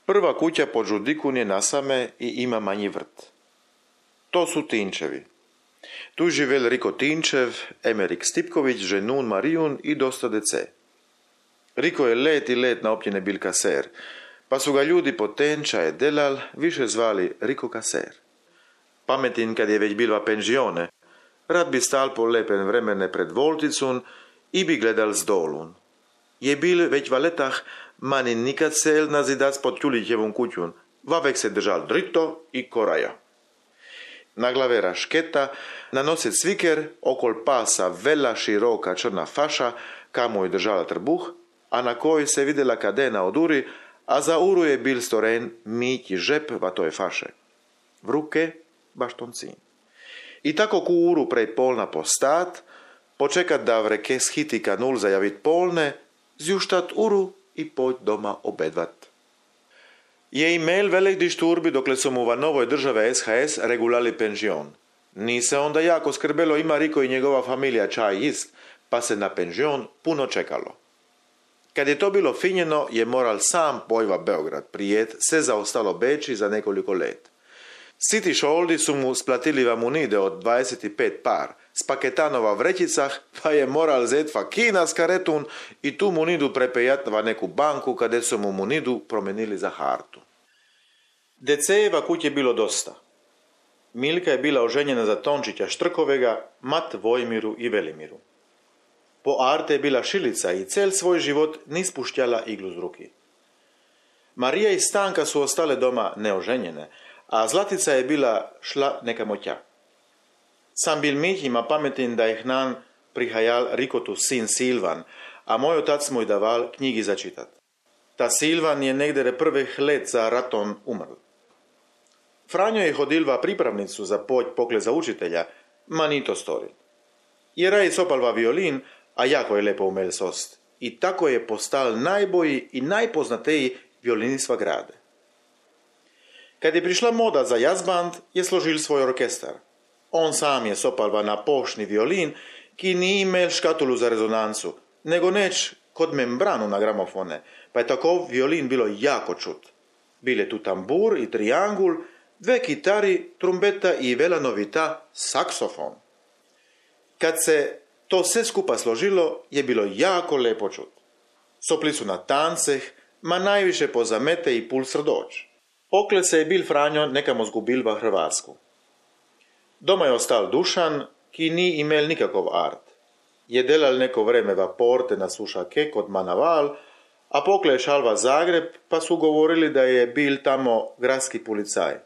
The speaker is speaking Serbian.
Prva kuća pod Žudikun je nasame i ima manji vrt. To su Tinčevi. Tu živel Riko Tinčev, Emerik Stipković, ženun Marijun i dosta dece. Riko je let i let na općine bil kaser, pa su ga ljudi po Tenča je delal više zvali Riko kaser. Pametin kad je već bilva penžione, rad bi stal po lepen vremene pred volticun i bi gledal z dolun. Je bil već valetah, mani nikad sel na zidac pod Tjulićevom kućun, vavek se držal drito i koraja. Na glave rašketa, na nose cviker, okol pasa vela široka črna faša, kamo je držala trbuh, a na kojoj se vidjela kadena od uri, a za uru je bil storen miti žep vatoj faše. V ruke baštoncin. I tako ku uru prej polna postat, počekat da v reke shiti kanul zajavit polne, zjuštat uru i pojt doma obedvat. Je imel velik dišturbi dokle su mu va novoj države SHS regulali penžion. Ni se onda jako skrbelo ima Riko i njegova familija čaj ist, pa se na penžion puno čekalo. Kad je to bilo finjeno, je moral sam pojva Beograd prijet, se zaostalo Beči za nekoliko let. Siti šoldi su mu splatili vamunide od 25 par, s paketanova vrećicah, pa je moral zet fakina s karetun i tu munidu prepejat va neku banku, kade su mu munidu promenili za hartu. Decejeva kuć je bilo dosta. Milka je bila oženjena za Tončića Štrkovega, mat Vojmiru i Velimiru. Po Arte je bila šilica i cel svoj život ni spuštjala iglu z ruki. Marija i Stanka su ostale doma neoženjene, a Zlatica je bila šla nekamo tja. Sam bil Mih ima pametin da je hnan prihajal Rikotu sin Silvan, a moj otac mu je daval knjigi za čitat. Ta Silvan je negdje prvih let za raton umrl. Franjo je hodilva pripravnicu za pokle za učitelja, ma ni to storil. Jer je sopalva violin, a jako je lepo umel sost. I tako je postal najbolji i najpoznatiji violinist v grade. Kad je prišla moda za jazzband, je složil svoj orkestar. On sam je sopalva na pošni violin, ki ni imel škatulu za rezonancu, nego neč kod membranu na gramofone, pa je tako violin bilo jako čut. Bile tu tambur i triangul, dve kitari, trumpeta i vela novita, saksofon. Kad se to sve skupa složilo, je bilo jako lepo čut. Sopli su na tanceh, ma najviše po zamete i pul srdoč. Pokle se je bil Franjo nekamo zgubil v Hrvatsku. Doma je ostal Dušan, ki ni imel nikakov art. Je delal neko vreme v Porte na Sušake kod Manaval, a pokle je šal v Zagreb, pa su govorili da je bil tamo gradski policaj.